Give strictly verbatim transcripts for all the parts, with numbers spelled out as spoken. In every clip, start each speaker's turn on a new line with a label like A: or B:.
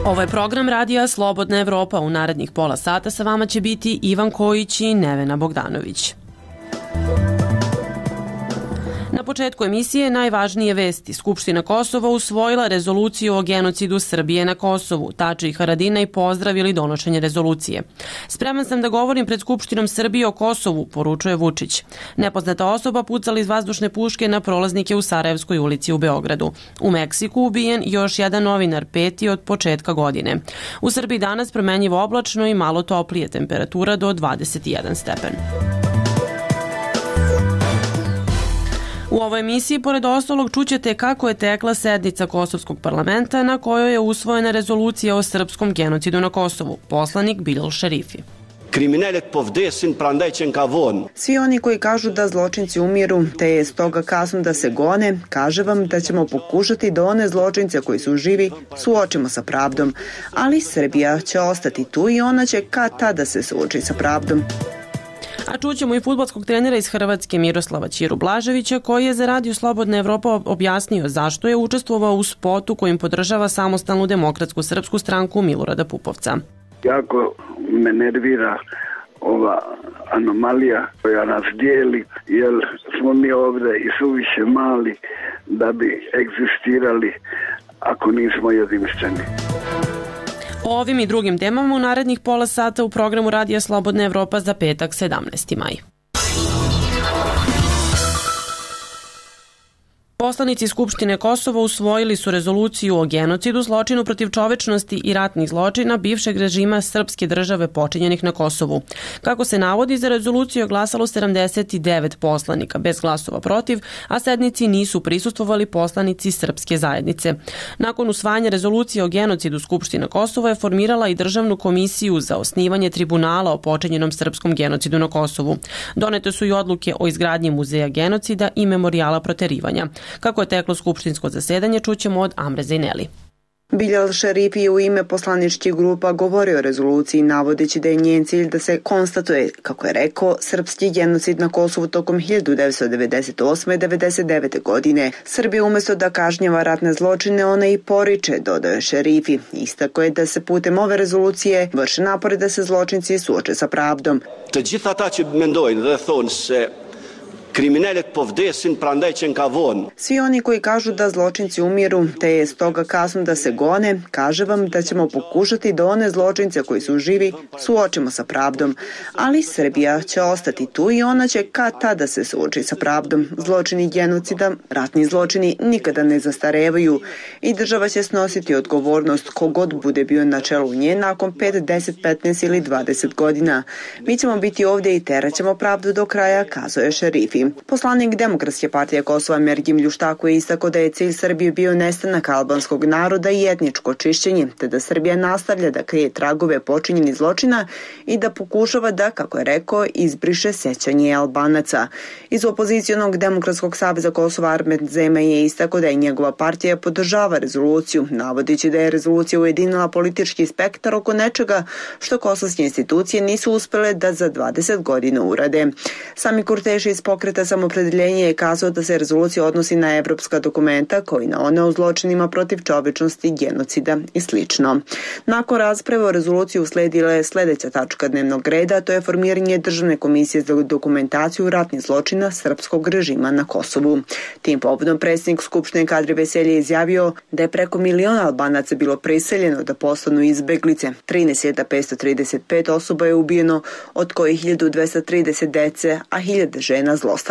A: Ovo je program radija Slobodna Evropa. U narednih pola sata sa vama će biti Ivan Kojić i Nevena Bogdanović. Na početku emisije najvažnije vesti. Skupština Kosova usvojila rezoluciju o genocidu Srbije na Kosovu. Tači i Haradinaj pozdravili donošenje rezolucije. Spreman sam da govorim pred Skupštinom Srbije o Kosovu, poručuje Vučić. Nepoznata osoba pucala iz vazdušne puške na prolaznike u Sarajevskoj ulici u Beogradu. U Meksiku ubijen još jedan novinar, peti od početka godine. U Srbiji danas promenjivo oblačno i malo toplije, temperatura do dvadeset jedan stepen. U ovoj emisiji, pored ostalog, čućete kako je tekla sednica Kosovskog parlamenta na kojoj je usvojena rezolucija o srpskom genocidu na Kosovu. Poslanik Bilal Šerifi.
B: Svi oni koji kažu da zločinci umiru, te je stoga kasno da se gone, kaže vam da ćemo pokušati da one zločince koji su živi suočimo sa pravdom. Ali Srbija će ostati tu i ona će kad tada se suoči sa pravdom.
A: A čućemo i fudbalskog trenera iz Hrvatske Miroslava Ćiru Blaževića, koji je za Radio Slobodna Evropa objasnio zašto je učestvovao u spotu kojim podržava samostalnu demokratsku srpsku stranku Milorada Pupovca.
C: Jako me nervira ova anomalija koja nas dijeli, jer smo mi ovdje i suviše mali da bi egzistirali ako nismo jedinstveni.
A: O ovim i drugim temama u narednih pola sata u programu Radija Slobodna Evropa za petak sedamnaesti maj. Poslanici Skupštine Kosova usvojili su rezoluciju o genocidu, zločinu protiv čovečnosti i ratnih zločina bivšeg režima srpske države počinjenih na Kosovu. Kako se navodi, za rezoluciju je glasalo sedamdeset devet poslanika, bez glasova protiv, a sednici nisu prisustvovali poslanici srpske zajednice. Nakon usvajanja rezolucije o genocidu, Skupština Kosova je formirala i državnu komisiju za osnivanje tribunala o počinjenom srpskom genocidu na Kosovu. Donete su i odluke o izgradnji muzeja genocida i memorijala proterivanja. Kako je teklo skupštinsko zasedanje, čućemo od Amre Zejneli.
B: Bilal Šerifi je u ime poslaničkih grupa govorio o rezoluciji, navodeći da je njen cilj da se konstatuje, kako je rekao, srpski genocid na Kosovu tokom hiljadu devetsto devedeset osme i devedeset devete. godine. Srbija umjesto da kažnjava ratne zločine, ona i poriče, dodao je Šerifi. Istako je da se putem ove rezolucije vrše napore da se zločinci suoče sa pravdom.
D: Të gjithë ata që mendojnë dhe thonë se kriminalet po vdesin prandaj që ka vonë.
B: Svi oni koji kažu da zločinci umiru, te je stoga kasno da se gone, kaže vam da ćemo pokušati da one zločince koji su živi suočimo sa pravdom. Ali Srbija će ostati tu i ona će kad tada se suoči sa pravdom. Zločini genocida, ratni zločini nikada ne zastarevaju i država će snositi odgovornost kogod bude bio na čelu nje nakon pet, deset, petnaest ili dvadeset godina. Mi ćemo biti ovdje i teraćemo pravdu do kraja, kazao je Šerifi. Poslanik Demokratske partije Kosova Mergim Ljuštako je istakao da je cilj Srbije bio nestanak albanskog naroda i etničko čišćenje, te da Srbija nastavlja da krije tragove počinjenih zločina i da pokušava da, kako je rekao, izbriše sećanje Albanaca. Iz opozicionog Demokratskog saveza Kosova Armet Zema je istakao da je njegova partija podržava rezoluciju, navodeći da je rezolucija ujedinila politički spektar oko nečega što kosovske institucije nisu uspjele da za dvadeset godina urade. Sami Kurteši iz pokreta Samopredeljenje je kazao da se rezolucija odnosi na evropska dokumenta koji na one o zločinima protiv čovečnosti, genocida i slično. Nakon rasprave o rezoluciji usledila je sljedeća tačka dnevnog reda, to je formiranje Državne komisije za dokumentaciju ratnih zločina srpskog režima na Kosovu. Tim povodom predsjednik Skupštine Kadri Veselje je izjavio da je preko miliona Albanaca bilo priseljeno da postanu izbeglice. trinaest hiljada petsto trideset pet osoba je ubijeno, od kojih hiljadu dvesta trideset dece, a hiljade žena zlostavljeno.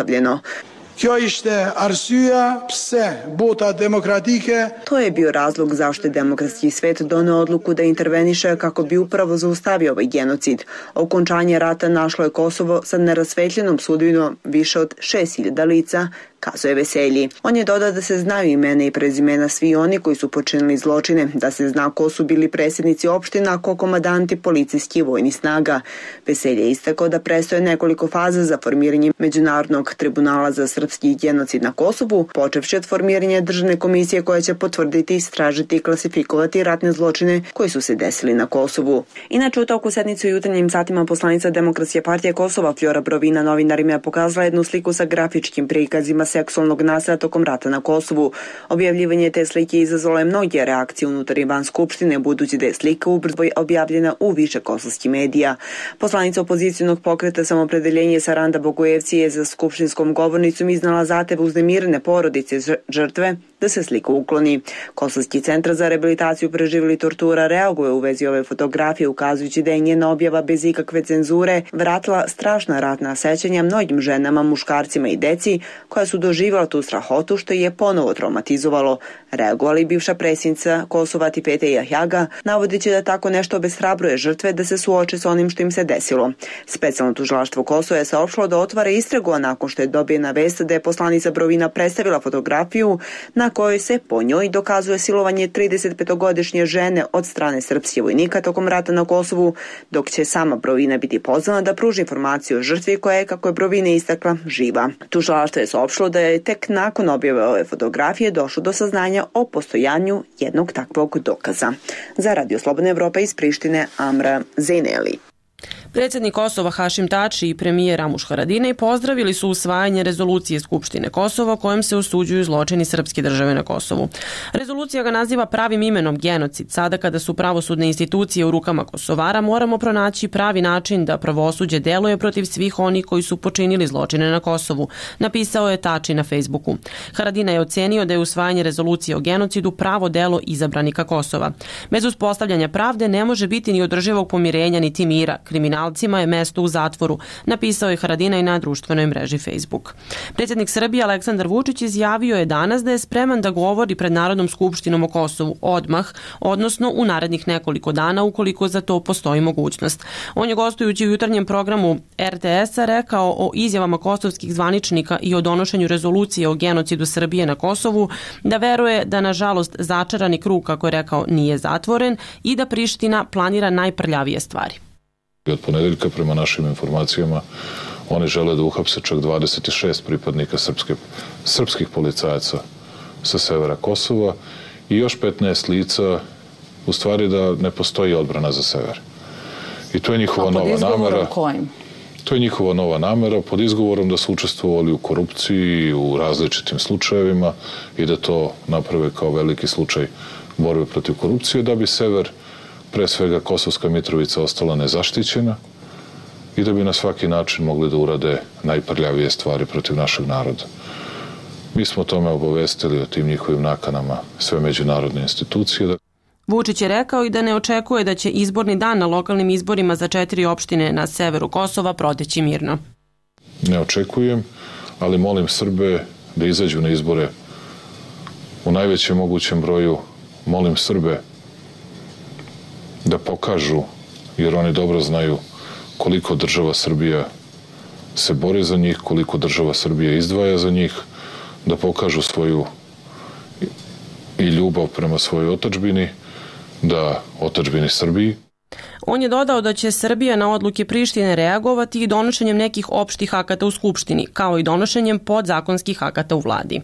E: Kjo ishte arsyeja pse bota demokratike.
B: To je bio razlog zašto je demokratski svet doneo odluku da interveniše kako bi upravo zaustavio ovaj genocid. Okončanje rata našlo je Kosovo sa nerasvetljenom sudbinom više od šest hiljada lica, kazuje Veselji. On je dodao da se znaju imena i prezimena svi oni koji su počinili zločine, da se zna ko su bili predsjednici opština, ko komadanti policijskih i vojnih snaga. Veselji je istakao da prestoje nekoliko faza za formiranje Međunarodnog tribunala za srpski genocid na Kosovu, počevši od formiranja državne komisije koja će potvrditi, istražiti i klasifikovati ratne zločine koji su se desili na Kosovu. Inače, u toku sednice u jutarnjim satima poslanica Demokratske partije Kosova Fjora Brovina novinarima je pokazala jednu sliku sa grafičkim prikazima seksualnog nasilja tokom rata na Kosovu. Objavljivanje te slike izazvalo je mnoge reakcije unutar i van Skupštine, budući da je slika ubrzo objavljena u više kosovskih medija. Poslanica opozicionog pokreta Samopredeljenje Saranda Bogojevci je za skupštinskom govornicom iznala zahtev uznemirene porodice žrtve da se slika ukloni. Kosovski centar za rehabilitaciju preživjeli tortura reaguje u vezi ove fotografije, ukazujući da je njena objava bez ikakve cenzure vratila strašna ratna sećanja mnogim ženama, muškarcima i deci koja su doživjela tu strahotu, što je ponovo traumatizovalo. Reagovali bivša predsjednica Kosova Tipete Jahjaga, navodeći da tako nešto obeshrabruje žrtve da se suoče sa onim što im se desilo. Specijalno tužilaštvo Kosova je saopštilo da otvara istragu, a nakon što je dobijena vest da je poslanica Brovina predstavila fotografiju na kojoj se po njoj dokazuje silovanje tridesetpetogodišnje žene od strane srpskih vojnika tokom rata na Kosovu, dok će sama Brovina biti pozvana da pruži informaciju o žrtvi koja je, kako je Brovina istakla, živa. Tužilaštvo je saopštilo da je tek nakon objave ove fotografije došlo do saznanja o postojanju jednog takvog dokaza. Za Radio Slobodna Evropa iz Prištine, Amra Zeneli.
A: Predsjednik Kosova Hašim Tači i premijer Ramuš Haradinaj pozdravili su usvajanje rezolucije Skupštine Kosova kojom se osuđuju zločini srpske države na Kosovu. Rezolucija ga naziva pravim imenom genocid. Sada kada su pravosudne institucije u rukama Kosovara, moramo pronaći pravi način da pravosuđe deluje protiv svih onih koji su počinili zločine na Kosovu, napisao je Tači na Facebooku. Haradinaj je ocenio da je usvajanje rezolucije o genocidu pravo delo izabranika Kosova. Bez uspostavljanja pravde ne može biti ni održivog pomirenja niti mira. Kriminalcima je mesto u zatvoru, napisao je Haradinaj na društvenoj mreži Facebook. Predsjednik Srbije Aleksandar Vučić izjavio je danas da je spreman da govori pred Narodnom skupštinom o Kosovu odmah, odnosno u narednih nekoliko dana ukoliko za to postoji mogućnost. On je gostujući u jutarnjem programu R T S-a rekao o izjavama kosovskih zvaničnika i o donošenju rezolucije o genocidu Srbije na Kosovu da veruje da nažalost začarani krug, kako je rekao, nije zatvoren i da Priština planira najprljavije stvari.
F: Od ponedeljka, prema našim informacijama, oni žele da uhapse čak dvadeset šest pripadnika srpske, srpskih policajaca sa severa Kosova i još petnaest lica, u stvari da ne postoji odbrana za sever. I to je njihova nova namera.
G: Kojim?
F: To je njihova nova namera pod izgovorom da su učestvovali u korupciji, u različitim slučajevima i da to naprave kao veliki slučaj borbe protiv korupcije, da bi sever, pre svega Kosovska Mitrovica, ostala nezaštićena i da bi na svaki način mogli da urade najprljavije stvari protiv našeg naroda. Mi smo tome obavestili o tim njihovim nakanama sve međunarodne institucije.
A: Vučić je rekao i da ne očekuje da će izborni dan na lokalnim izborima za četiri opštine na severu Kosova proteći mirno.
F: Ne očekujem, ali molim Srbe da izađu na izbore u najvećem mogućem broju. Molim Srbe da pokažu, jer oni dobro znaju koliko država Srbija se bori za njih, koliko država Srbija izdvaja za njih, da pokažu svoju i ljubav prema svojoj otadžbini, da otadžbini Srbiji.
A: On je dodao da će Srbija na odluke Prištine reagovati i donošenjem nekih opštih akata u Skupštini, kao i donošenjem podzakonskih akata u vladi.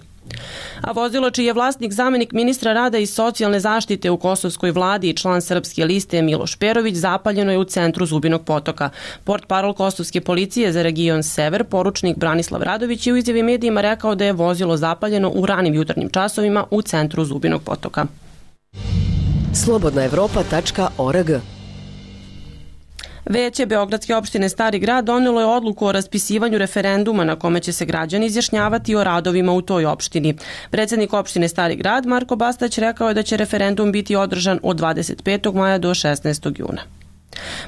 A: A vozilo čiji je vlasnik zamenik ministra rada i socijalne zaštite u kosovskoj vladi i član srpske liste Miloš Perović zapaljeno je u centru Zubinog potoka. Portparol kosovske policije za region Sever, poručnik Branislav Radović, je u izjavi medijima rekao da je vozilo zapaljeno u ranim jutarnjim časovima u centru Zubinog potoka.
H: slobodna evropa tačka org.
A: Veće Beogradske opštine Stari grad donelo je odluku o raspisivanju referenduma na kome će se građani izjašnjavati o radovima u toj opštini. Predsjednik opštine Stari grad Marko Bastać rekao je da će referendum biti održan od dvadeset petog maja do šesnaestog juna.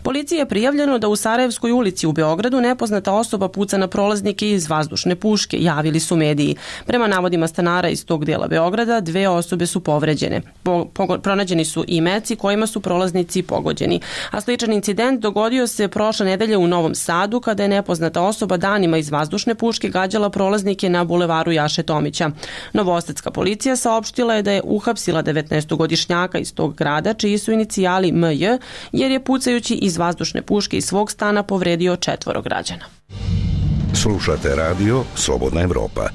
A: Policiji je prijavljeno da u Sarajevskoj ulici u Beogradu nepoznata osoba puca na prolaznike iz vazdušne puške, javili su mediji. Prema navodima stanara iz tog dela Beograda, dve osobe su povređene. Po, po, pronađeni su i meci kojima su prolaznici pogođeni. A sličan incident dogodio se prošle nedelje u Novom Sadu kada je nepoznata osoba danima iz vazdušne puške gađala prolaznike na bulevaru Jaše Tomića. Novosadska policija saopštila je da je uhapsila devetnaestogodišnjaka iz tog grada čiji su inicijali M J, jer je pucaju iz vazdušne puške iz svog stana povredio četvoro građana.
I: Slušate radio Slobodna Evropa.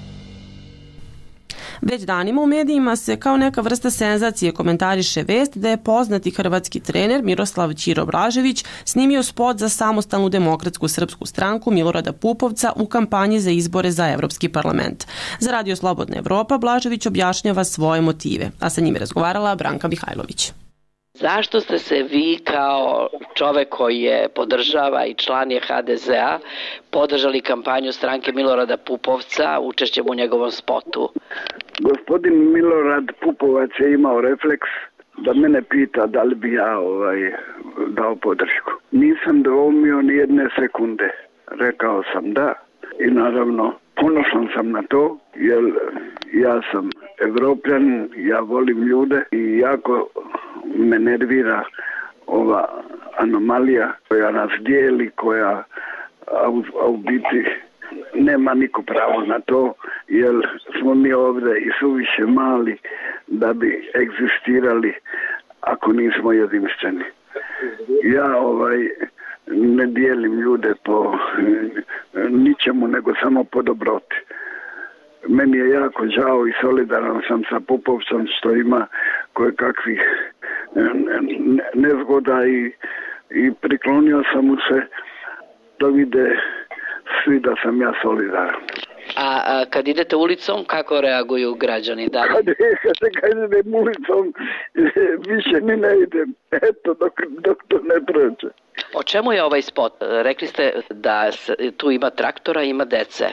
A: Već danima u medijima se kao neka vrsta senzacije komentariše vest da je poznati hrvatski trener Miroslav Ćiro Blažević snimio spot za Samostalnu demokratsku srpsku stranku Milorada Pupovca u kampanji za izbore za Evropski parlament. Za Radio Slobodna Evropa Blažević objašnjava svoje motive, a sa njim je razgovarala Branka Mihajlović.
G: Zašto ste se vi kao čovek koji je podržava i član je ha de zea podržali kampanju stranke Milorada Pupovca učešćem u njegovom spotu?
C: Gospodin Milorad Pupovac je imao refleks da mene pita da li bi ja ovaj, dao podršku. Nisam dvoumio ni jedne sekunde. Rekao sam da i naravno ponosan sam na to jer ja sam Evropljan, ja volim ljude i jako me nervira ova anomalija koja nas dijeli, koja a u, a u biti nema niko pravo na to, jer smo mi ovdje i suviše mali da bi egzistirali ako nismo jedinstveni. Ja ovaj ne dijelim ljude po ničemu nego samo po dobroti. Meni je jako žao i solidaran sam sa Pupovcem što ima koje kakvih nezgoda i, i priklonio sam mu se da vide svi da sam ja solidaran.
G: A, a kad idete ulicom, kako reaguju građani? Da li?
C: Kad, kad, kad idem ulicom, više ni ne idem. Eto, dok, dok to ne prođe.
G: O čemu je ovaj spot? Rekli ste da tu ima traktora, ima dece.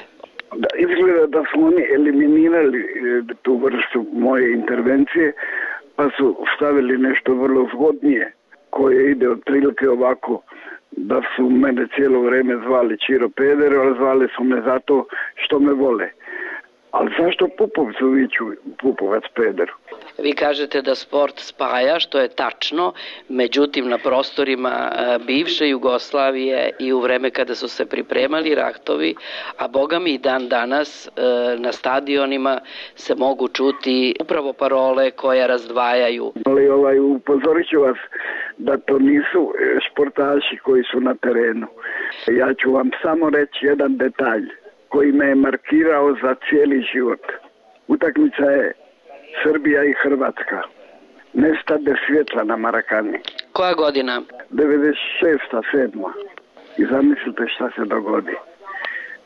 C: Da, izgleda da su oni eliminirali tu vrstu moje intervencije, pa su stavili nešto vrlo zgodnije, koje ide otprilike ovako, da su mene cijelo vrijeme zvali Ćiro Peder, ali zvali su me zato što me vole. Ali zašto Pupovcu viću Pupovac Pederu?
G: Vi kažete da sport spaja, što je tačno, međutim na prostorima bivše Jugoslavije i u vreme kada su se pripremali ratovi, a boga mi i dan danas na stadionima se mogu čuti upravo parole koje razdvajaju.
C: Ali ovaj, upozorit ću vas da to nisu športaši koji su na terenu. Ja ću vam samo reći jedan detalj koji me je markirao za cijeli život. Utakmica je Srbija i Hrvatska. Nestade svjetla na Marakani.
G: Koja godina?
C: devedeset šesta sedma I zamislite šta se dogodi.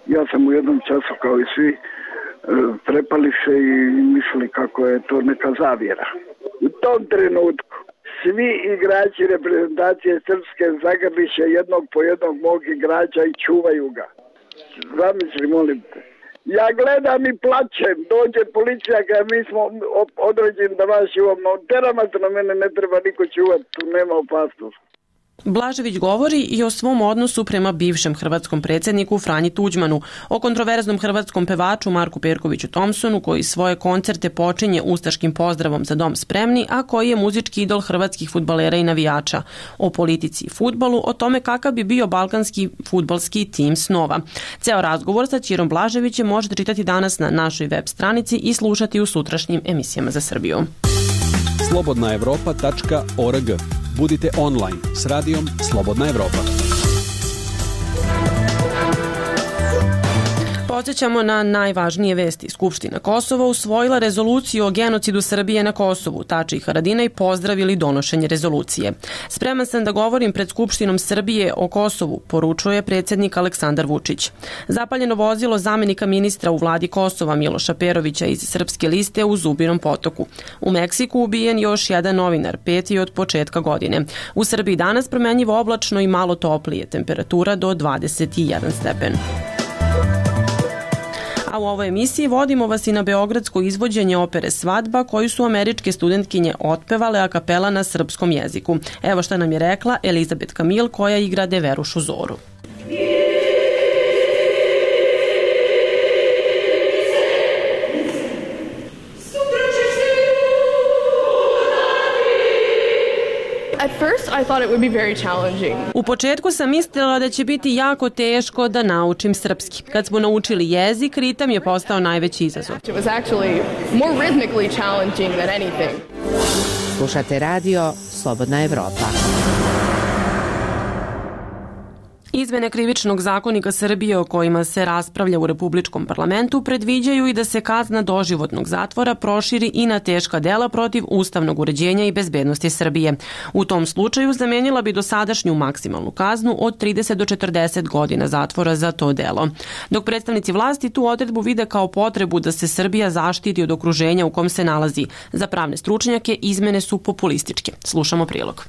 C: Ja sam u jednom času kao i svi prepali se i mislili kako je to neka zavjera. U tom trenutku svi igrači reprezentacije Srpske zagrliše jednog po jednog mog igrača i čuvaju ga. Zamisli, molim te. Ja gledam i plačem, dođe policija kada mi smo određeni da vas čuvamo. Terama se na mene ne treba niko čuvati, tu nema opasnosti.
A: Blažević govori i o svom odnosu prema bivšem hrvatskom predsjedniku Franji Tuđmanu, o kontroverznom hrvatskom pevaču Marku Perkoviću Thompsonu koji svoje koncerte počinje ustaškim pozdravom za dom spremni, a koji je muzički idol hrvatskih fudbalera i navijača, o politici i fudbalu, o tome kakav bi bio balkanski fudbalski tim snova. Ceo razgovor sa Ćirom Blaževićem možete čitati danas na našoj web stranici i slušati u sutrašnjim emisijama za Srbiju.
I: slobodna evropa tačka org. Budite online s radijom Slobodna Evropa.
A: Podsjećamo na najvažnije vesti. Skupština Kosova usvojila rezoluciju o genocidu Srbije na Kosovu. Tači i Haradinaj pozdravili donošenje rezolucije. Spreman sam da govorim pred Skupštinom Srbije o Kosovu, poručuje predsjednik Aleksandar Vučić. Zapaljeno vozilo zamenika ministra u vladi Kosova Miloša Perovića iz Srpske liste u Zubinom Potoku. U Meksiku ubijen još jedan novinar, peti od početka godine. U Srbiji danas promenljivo oblačno i malo toplije, temperatura do dvadeset jedan stepen. A u ovoj emisiji vodimo vas i na beogradsko izvođenje opere Svadba koju su američke studentkinje otpevale a kapela na srpskom jeziku. Evo šta nam je rekla Elizabet Kamil koja igra Deverušu Zoru.
J: At first I thought it would be very challenging.
A: U početku sam mislila da će biti jako teško da naučim srpski. Kad smo naučili jezik, ritam je postao najveći izazov.
J: It was actually more rhythmically challenging than anything.
H: Slušate radio Slobodna Evropa.
A: Izmene Krivičnog zakonika Srbije o kojima se raspravlja u Republičkom parlamentu predviđaju i da se kazna doživotnog zatvora proširi i na teška dela protiv ustavnog uređenja i bezbednosti Srbije. U tom slučaju zamenila bi dosadašnju maksimalnu kaznu od trideset do četrdeset godina zatvora za to delo. Dok predstavnici vlasti tu odredbu vide kao potrebu da se Srbija zaštiti od okruženja u kom se nalazi. Za pravne stručnjake izmene su populističke. Slušamo prilog.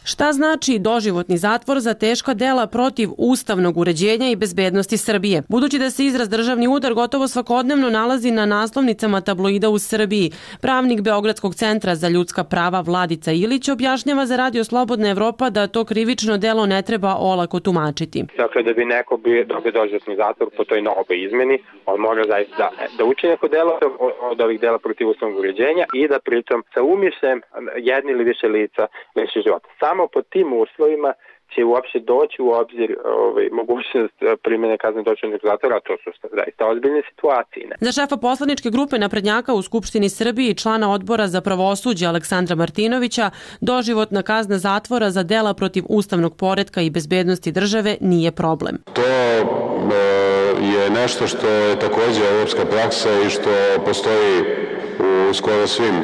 A: Šta znači doživotni zatvor za teška dela protiv ustavnog uređenja i bezbednosti Srbije? Budući da se izraz državni udar gotovo svakodnevno nalazi na naslovnicama tabloida u Srbiji, pravnik Beogradskog centra za ljudska prava Vladica Ilić objašnjava za Radio Slobodna Evropa da to krivično delo ne treba olako tumačiti.
K: Dakle, da bi neko bio dobio doživotni zatvor po toj novoj izmeni, on mora zaista da, da uči neko delo od ovih dela protiv ustavnog uređenja i da pritom sa umišljem jedni ili više lica liši života. Samo po tim uslovima će uopšte doći u obzir ovaj, mogućnost primjene kazne doživotnog zatvora, a to su zaista ozbiljne situacije. Ne?
A: Za šefa poslaničke grupe naprednjaka u Skupštini Srbije i člana odbora za pravosuđe Aleksandra Martinovića, doživotna kazna zatvora za dela protiv ustavnog poretka i bezbednosti države nije problem.
L: To je nešto što je takođe evropska praksa i što postoji u skoro svim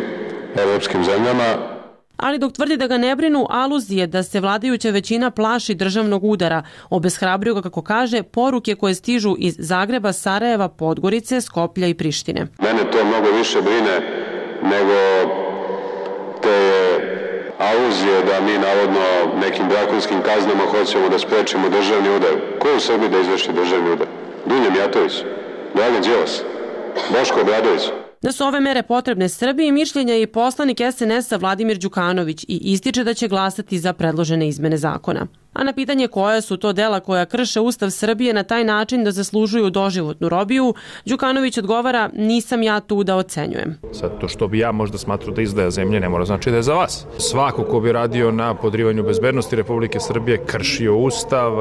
L: evropskim zemljama.
A: Ali dok tvrdi da ga ne brinu aluzije da se vladajuća većina plaši državnog udara, obeshrabrio ga, kako kaže, poruke koje stižu iz Zagreba, Sarajeva, Podgorice, Skoplja i Prištine.
L: Mene to mnogo više brine nego te aluzije da mi navodno nekim drakonskim kaznama hoćemo da sprečimo državni udar. Ko je u Srbiji da izvrši državni udar? Dunja Mijatović, Dragan Đilas, Boško Obradović.
A: Da su ove mere potrebne Srbiji, mišljenja je i poslanik es en es a Vladimir Đukanović i ističe da će glasati za predložene izmene zakona. A na pitanje koja su to dela koja krše Ustav Srbije na taj način da zaslužuju doživotnu robiju, Đukanović odgovara: nisam ja tu da ocenjujem.
M: Sad, to što bi ja možda smatrao da izdaja zemlje ne mora znači da je za vas. Svako ko bi radio na podrivanju bezbednosti Republike Srbije kršio Ustav,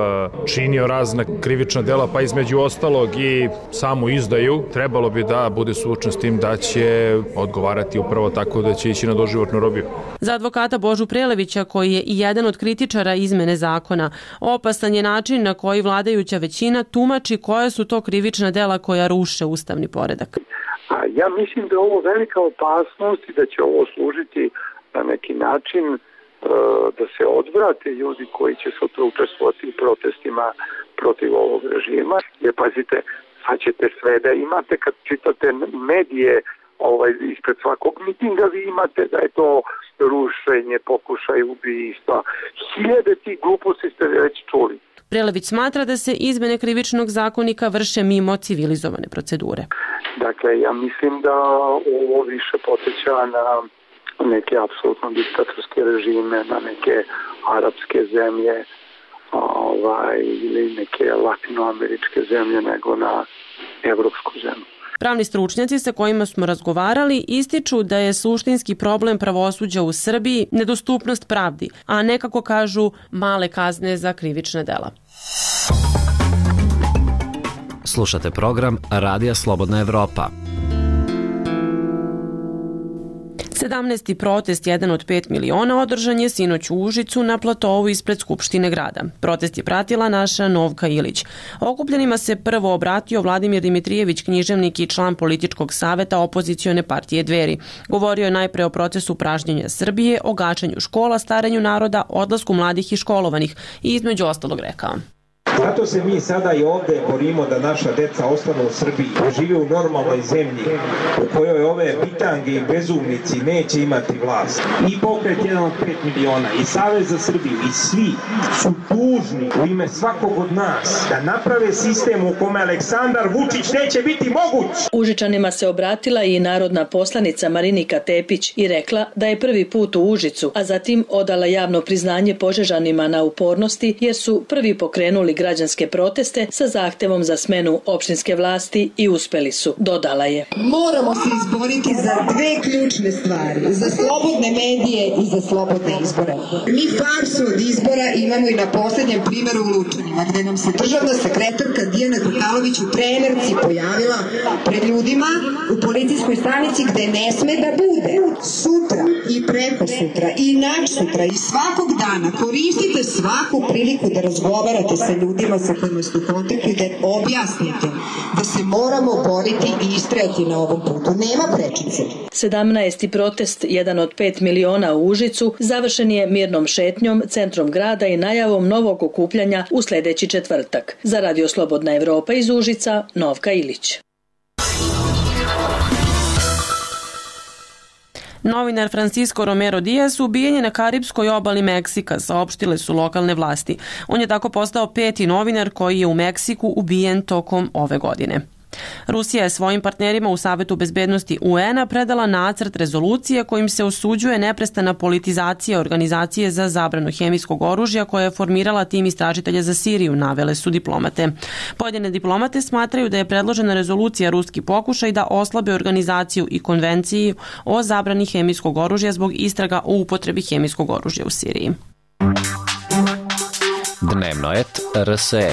M: činio razna krivična dela, pa između ostalog i samu izdaju, trebalo bi da bude suočen s tim da će odgovarati upravo tako da će ići na doživotnu robiju.
A: Za advokata Božu Prelevića, koji je i jedan od kritičara izmene zakona, opasan je način na koji vladajuća većina tumači koja su to krivična dela koja ruše ustavni poredak.
N: A ja mislim da je ovo velika opasnost i da će ovo služiti na neki način e, da se odvrate ljudi koji će sutra učestvovati u protestima protiv ovog režima. Jer pazite, sad ćete sve da imate kad čitate medije ovaj, ispred svakog mitinga, vi imate da je to rušenje, pokušaj ubistva. Hiljade tih gluposti ste već čuli.
A: Prelević smatra da se izmene Krivičnog zakonika vrše mimo civilizovane procedure.
N: Dakle, ja mislim da ovo više podsjeća na neke apsolutno diktatorske režime, na neke arapske zemlje ovaj, ili neke latinoameričke zemlje nego na evropsku zemlju.
A: Pravni stručnjaci sa kojima smo razgovarali ističu da je suštinski problem pravosuđa u Srbiji nedostupnost pravdi, a ne, kako kažu, male kazne za krivična dela.
O: Slušate program Radija Slobodna Evropa.
A: sedamnaesti protest, jedan od pet miliona, održan je sinoć u Užicu na platovu ispred Skupštine grada. Protest je pratila naša Novka Ilić. Okupljenima se prvo obratio Vladimir Dimitrijević, književnik i član političkog saveta opozicione partije Dveri. Govorio je najpre o procesu pražnjenja Srbije, o gačanju škola, staranju naroda, odlasku mladih i školovanih i između ostalog rekao:
P: Zato se mi sada i ovde borimo da naša deca ostanu u Srbiji, da žive u normalnoj zemlji u kojoj ove bitange i bezumnici neće imati vlast. I pokret jedan od pet miliona, i Savez za Srbiju, i svi su dužni u ime svakog od nas da naprave sistem u kome Aleksandar Vučić neće biti moguć.
Q: Užičanima se obratila i narodna poslanica Marinika Tepić i rekla da je prvi put u Užicu, a zatim odala javno priznanje Požežanima na upornosti jer su prvi pokrenuli građanske proteste sa zahtevom za smenu opštinske vlasti i uspeli su, dodala je.
R: Moramo se izboriti za dve ključne stvari, za slobodne medije i za slobodne izbore. Mi farsu od izbora imamo i na posljednjem primjeru u Lučanima, gde nam se državna sekretarka Dijana Krupalović u trenerci pojavila pred ljudima u policijskoj stanici gde ne sme da bude. Sutra i preko sutra i nač sutra i svakog dana koristite svaku priliku da razgovarate sa ljudima sa kojima ste u kontaktu i da objasnite da se moramo boriti i istrajati na ovom putu. Nema prečice.
Q: sedamnaesti protest, jedan od pet miliona u Užicu, završen je mirnom šetnjom, centrom grada i najavom novog okupljanja u sledeći četvrtak. Za Radio Slobodna Evropa iz Užica, Novka Ilić.
A: Novinar Francisco Romero Diaz ubijen je na karipskoj obali Meksika, saopštile su lokalne vlasti. On je tako postao peti novinar koji je u Meksiku ubijen tokom ove godine. Rusija je svojim partnerima u Savetu bezbednosti U N-a predala nacrt rezolucije kojim se osuđuje neprestana politizacija organizacije za zabranu hemijskog oružja koja je formirala tim istražitelja za Siriju, navele su diplomate. Pojedine diplomate smatraju da je predložena rezolucija ruski pokušaj da oslabe organizaciju i konvenciju o zabrani hemijskog oružja zbog istraga o upotrebi hemijskog oružja u Siriji.
O: Dnevnoet R S E.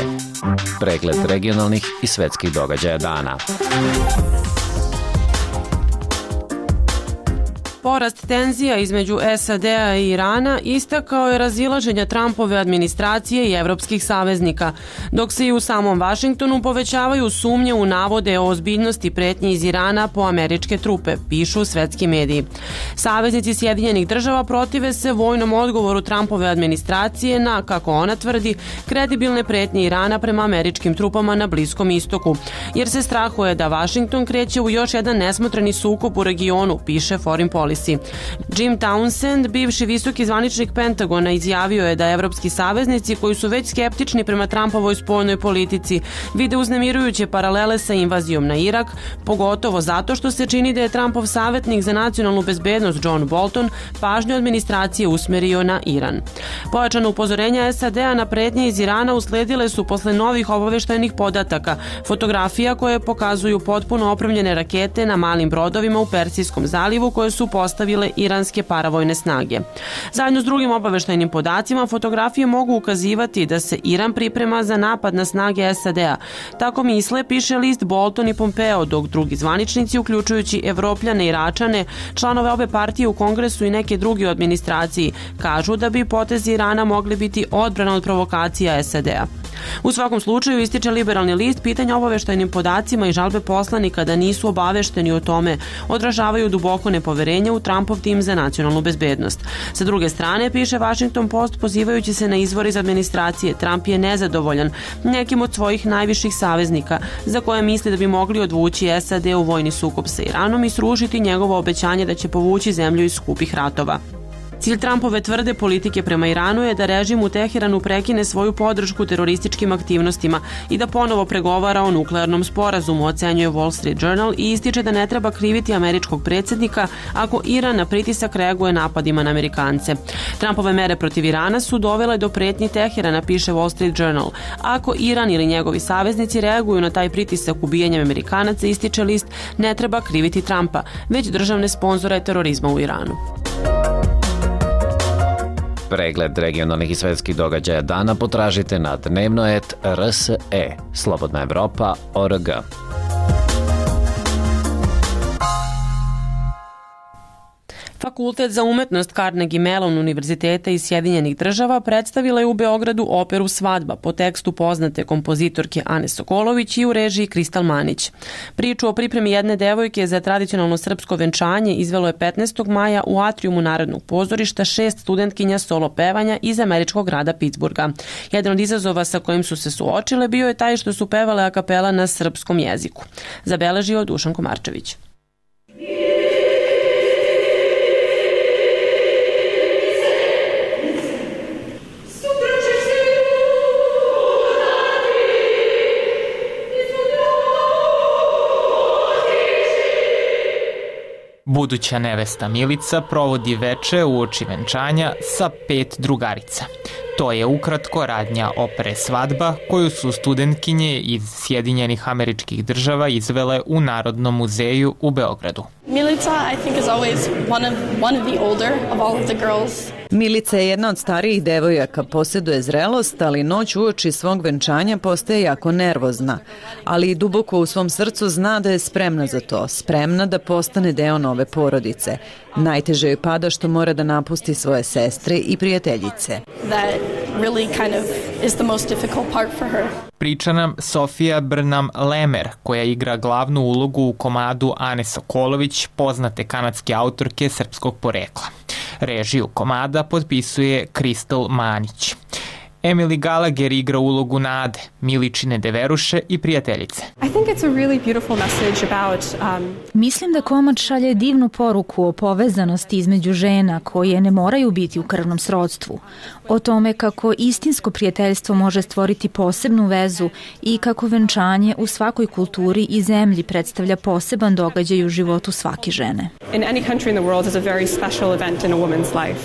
O: Pregled regionalnih i svetskih događaja dana.
A: Porast tenzija između S A D-a i Irana istakao je razilaženja Trumpove administracije i evropskih saveznika, dok se i u samom Vašingtonu povećavaju sumnje u navode o ozbiljnosti pretnje iz Irana po američke trupe, pišu svetski mediji. Saveznici Sjedinjenih država protive se vojnom odgovoru Trumpove administracije na, kako ona tvrdi, kredibilne pretnje Irana prema američkim trupama na Bliskom istoku, jer se strahuje da Vašington kreće u još jedan nesmotreni sukob u regionu, piše Foreign Policy. Jim Townsend, bivši visoki zvaničnik Pentagona, izjavio je da evropski saveznici koji su već skeptični prema Trumpovoj spoljnoj politici vide uznemirujuće paralele sa invazijom na Irak, pogotovo zato što se čini da je Trumpov savjetnik za nacionalnu bezbednost John Bolton pažnju administracije usmerio na Iran. Pojačano upozorenja S A D-a na pretnje iz Irana usledile su posle novih obaveštajnih podataka, fotografija koje pokazuju potpuno opremljene rakete na malim brodovima u Persijskom zalivu koje su postavile iranske paravojne snage. Zajedno s drugim obaveštajnim podacima, fotografije mogu ukazivati da se Iran priprema za napad na snage S A D-a. Tako misle, piše list Bolton i Pompeo, dok drugi zvaničnici, uključujući Evropljane i Iračane, članove obe partije u Kongresu i neke drugi u administraciji, kažu da bi potezi Irana mogli biti odbrana od provokacija S A D-a. U svakom slučaju, ističe liberalni list, pitanja obaveštajnim podacima i žalbe poslanika da nisu obavešteni o tome odražavaju duboko nepoverenje u Trumpov tim za nacionalnu bezbednost. Sa druge strane, piše Washington Post, pozivajući se na izvor iz administracije, Trump je nezadovoljan nekim od svojih najviših saveznika za koje misli da bi mogli odvući S A D u vojni sukob sa Iranom i srušiti njegovo obećanje da će povući zemlju iz skupih ratova. Cilj Trumpove tvrde politike prema Iranu je da režim u Teheranu prekine svoju podršku terorističkim aktivnostima i da ponovo pregovara o nuklearnom sporazumu, ocenjuje Wall Street Journal i ističe da ne treba kriviti američkog predsjednika ako Iran na pritisak reaguje napadima na Amerikance. Trumpove mere protiv Irana su dovele do pretnji Teherana, piše Wall Street Journal. Ako Iran ili njegovi saveznici reaguju na taj pritisak ubijanjem Amerikanaca, ističe list, ne treba kriviti Trumpa, već državne sponzore terorizma u Iranu.
O: Pregled regionalnih i svetskih događaja dana potražite na dnevnoet R S E, Slobodna Evropa, O R G.
A: Fakultet za umetnost Carnegie Mellon Univerziteta iz Sjedinjenih država predstavila je u Beogradu operu Svadba po tekstu poznate kompozitorke Ane Sokolović i u režiji Kristal Manić. Priču o pripremi jedne devojke za tradicionalno srpsko venčanje izvelo je petnaestog maja u atrijumu Narodnog pozorišta šest studentkinja solo pevanja iz američkog grada Pittsburgha. Jedan od izazova sa kojim su se suočile bio je taj što su pevale a kapela na srpskom jeziku. Zabeležio Dušan Komarčević.
S: Buduća nevesta Milica provodi veče uoči venčanja sa pet drugarica. To je ukratko radnja opere Svadba koju su studentkinje iz Sjedinjenih Američkih Država izvele u Narodnom muzeju u Beogradu.
J: Milica, I think, is always one of, one of the older of all of the girls
T: Milica je jedna od starijih devojaka, posjeduje zrelost, ali noć uoči svog venčanja postaje jako nervozna. Ali duboko u svom srcu zna da je spremna za to, spremna da postane deo nove porodice. Najteže joj pada što mora da napusti svoje sestre i prijateljice.
J: That really kind of is the most difficult part for her.
S: Priča nam Sofija Brnam-Lemer, koja igra glavnu ulogu u komadu Ane Sokolović, poznate kanadske autorke srpskog porekla. Režiju komada potpisuje Kristal Manić. Emily Gallagher igra ulogu Nade, Miličine deveruše i prijateljice.
U: I think it's a really beautiful message about um...
V: Mislim da komad šalje divnu poruku o povezanosti između žena koje ne moraju biti u krvnom srodstvu, o tome kako istinsko prijateljstvo može stvoriti posebnu vezu i kako venčanje u svakoj kulturi i zemlji predstavlja poseban događaj u životu svake žene.
U: In any country in the world is a very special event in a woman's life.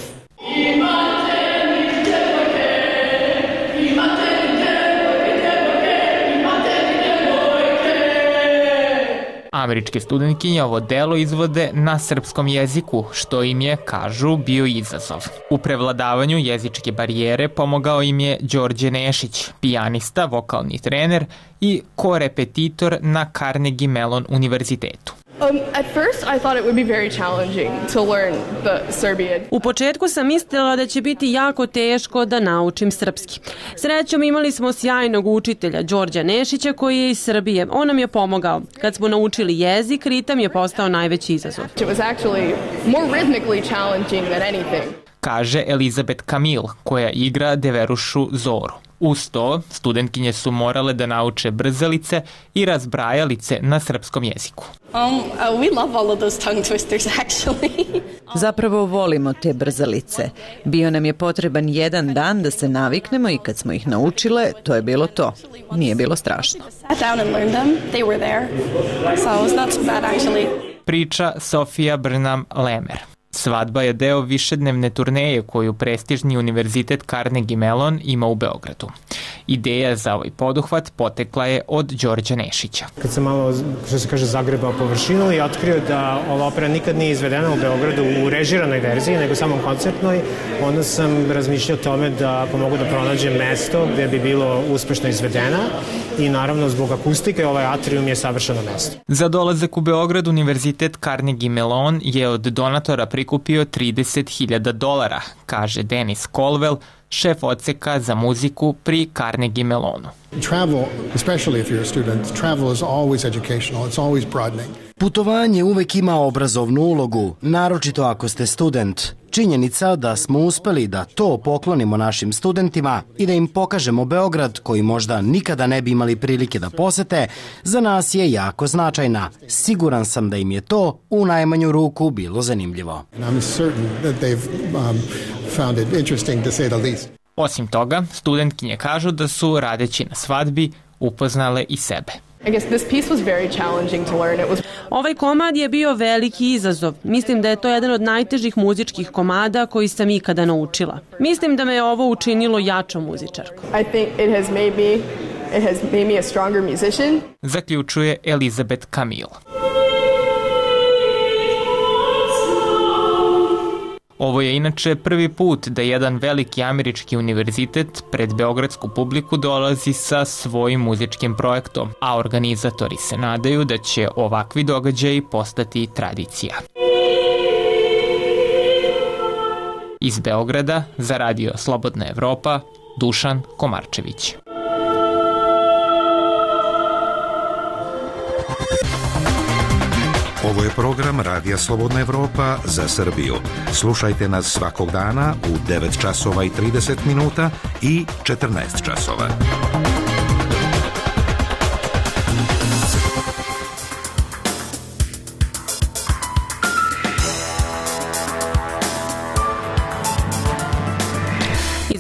S: Američke studentkinje ovo delo izvode na srpskom jeziku, što im je, kažu, bio izazov. U prevladavanju jezičke barijere pomogao im je Đorđe Nešić, pijanista, vokalni trener i korepetitor na Carnegie Mellon univerzitetu.
J: Um, at first I thought it would be very challenging to learn the Serbian.
A: U početku sam mislila da će biti jako teško da naučim srpski. Srećom imali smo sjajnog učitelja Đorđa Nešića koji je iz Srbije. On nam je pomogao. Kad smo naučili jezik, ritam je postao najveći izazov.
J: It was actually more rhythmically challenging than anything.
S: Kaže Elizabeth Camille, koja igra deverušu Zoru. Uz to, studentkinje su morale da nauče brzalice i razbrajalice na srpskom jeziku.
J: Um, uh, we love all of those tongue twisters, actually.
T: Zapravo volimo te brzalice. Bio nam je potreban jedan dan da se naviknemo i kad smo ih naučile, to je bilo to. Nije bilo strašno.
J: I sat down and learned them. They were there. So it was not too bad, actually.
S: Priča Sofija Brnam-Lemer. Svadba je deo višednevne turneje koju prestižni univerzitet Carnegie Mellon ima u Beogradu. Ideja za ovaj poduhvat potekla je od Đorđa Nešića.
W: Kad sam malo, što se kaže, zagrebao površinu i otkrio da ova opera nikad nije izvedena u Beogradu u režiranoj verziji, nego samo koncertnoj, onda sam razmišljao o tome da pomogu da pronađem mesto gde bi bilo uspešno izvedena i naravno zbog akustike ovaj atrium je savršeno mesto.
S: Za dolazak u Beograd univerzitet Carnegie Mellon je od donatora prikupio trideset hiljada dolara, kaže Denis Colwell, šef odseka za muziku pri Carnegie Mellonu.
X: Travel, especially if you're a student, travel is always educational, it's always broadening.
Y: Putovanje uvek ima obrazovnu ulogu, naročito ako ste student. Činjenica da smo uspeli da to poklonimo našim studentima i da im pokažemo Beograd, koji možda nikada ne bi imali prilike da posete, za nas je jako značajna. Siguran sam da im je to u najmanju ruku bilo zanimljivo.
X: I'm certain that they've um, found it interesting to say the least.
S: Osim toga, studentkinje kažu da su, radeći na svadbi, upoznale i sebe.
J: I guess this piece was very challenging to learn. It was...
A: Ovaj komad je bio veliki izazov. Mislim da je to jedan od najtežih muzičkih komada koji sam ikada naučila. Mislim da me je ovo učinilo jačom muzičarkom.
J: I think it has made me, it has made me a stronger musician.
S: Zaključuje Elizabeth Camille. Ovo je inače prvi put da jedan veliki američki univerzitet pred beogradsku publiku dolazi sa svojim muzičkim projektom, a organizatori se nadaju da će ovakvi događaji postati tradicija. Iz Beograda za radio Slobodna Evropa, Dušan Komarčević.
Z: Ovo je program Radija Slobodna Evropa za Srbiju. Slušajte nas svakog dana u devet časova i trideset minuta i četrnaest časova.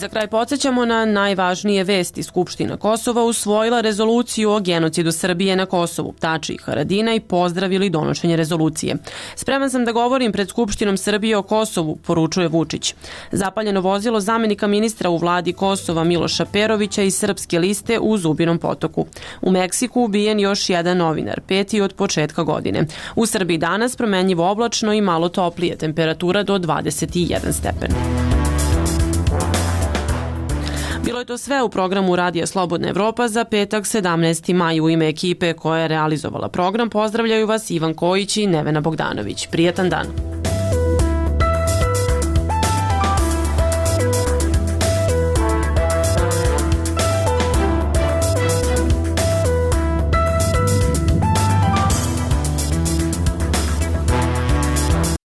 A: Za kraj podsjećamo na najvažnije vesti. Skupština Kosova usvojila rezoluciju o genocidu Srbije na Kosovu. Tači i Haradinaj pozdravili donošenje rezolucije. Spreman sam da govorim pred Skupštinom Srbije o Kosovu, poručuje Vučić. Zapaljeno vozilo zamenika ministra u vladi Kosova Miloša Perovića iz Srpske liste u Zubinom Potoku. U Meksiku ubijen još jedan novinar, peti od početka godine. U Srbiji danas promenljivo oblačno i malo toplije, temperatura do dvadeset jedan stepen. je to sve u programu Radija Slobodna Evropa za petak sedamnaesti maj. U ime ekipe koja je realizovala program pozdravljaju vas Ivan Kojić i Nevena Bogdanović. Prijetan dan.